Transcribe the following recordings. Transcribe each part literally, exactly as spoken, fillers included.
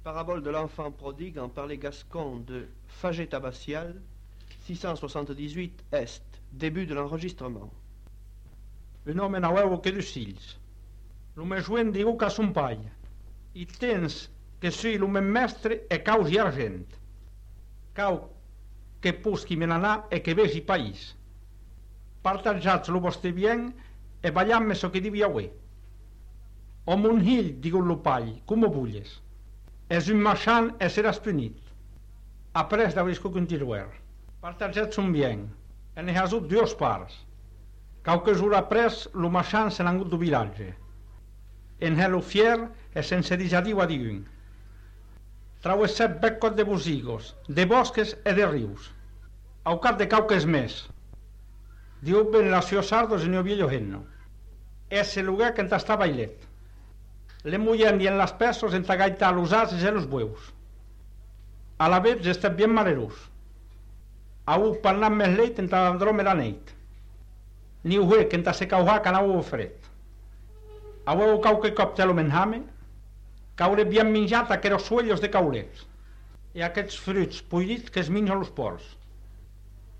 Parabole de l'enfant prodigue en parler gascon de Faget abbatial, six cent soixante-dix-huit Est, début de l'enregistrement. Un home naueu que dos fills. Lo me joent diu que son pai. I tens que sui lo me mestre e caus i argent. Cau que puschi me n'anà e che vesi país. Partagiats lo vostre bien e bagliamme so che divi a ue. O mon hill, digu lo pai, come vulles. Es un marchand e seràs punit. Après d'aurisco continuer. Partagiats son bien. E ne has ut dues parts. Qualques jours après, lo marchand se n'ha angut do vilatge. En hello fier e sense disadiu a diun. Trauessèt beccot de bosigos, de bosques e de rius. Au cap de qualques mes. Diu ben la sua sardos e ne oviello henno. Ese lugar que enta sta bailet. Le muyendi en las pesos enta gaita los ases e los bueus. A la vez estet bien malerus. Au parlat mes leit enta androme la neit. Ni uhe que enta se cauha can au fred. Au qualque coptelo menjame, caure bien menjat aqueros suellos de caulets. E aquests fruits puidits que es mingen los porcs.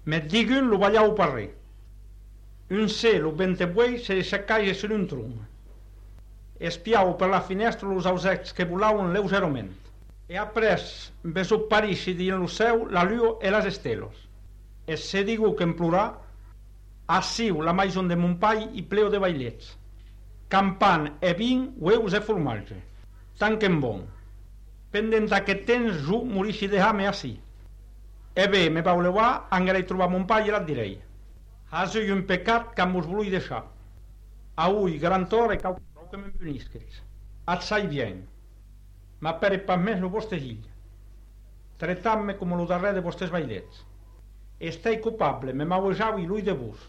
Met digun lo ballau parrer. Un celo vente buei se seccaige sur un trum. Espiau per la finestra los ausets que volauen leugerament. E apres vesu parisci di lo seu la luo e las estelos. E se digu que en plorà, assiu la maison de mon pai i pleo de bailets. Campan e vin, ueus e formatge. Tant que en bon. Pendent aquest temps jo morisci de hame assi. E bé, me vau leuar, angarei trobar mon pai e la direi. Has eu un pecat que mos volui deixar. Aui, gran tor e cau que me'n punisqueis. Et sai bien. M'apere pas més lo vostre hill. Tretam-me com lo darrer de vostres bailets. Estei culpable, me m'auejau i l'ull de vos.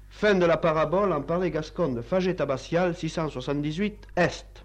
Fin de la parabole en parler gascon de Faget abbatial, six cent soixante-dix-huit Est.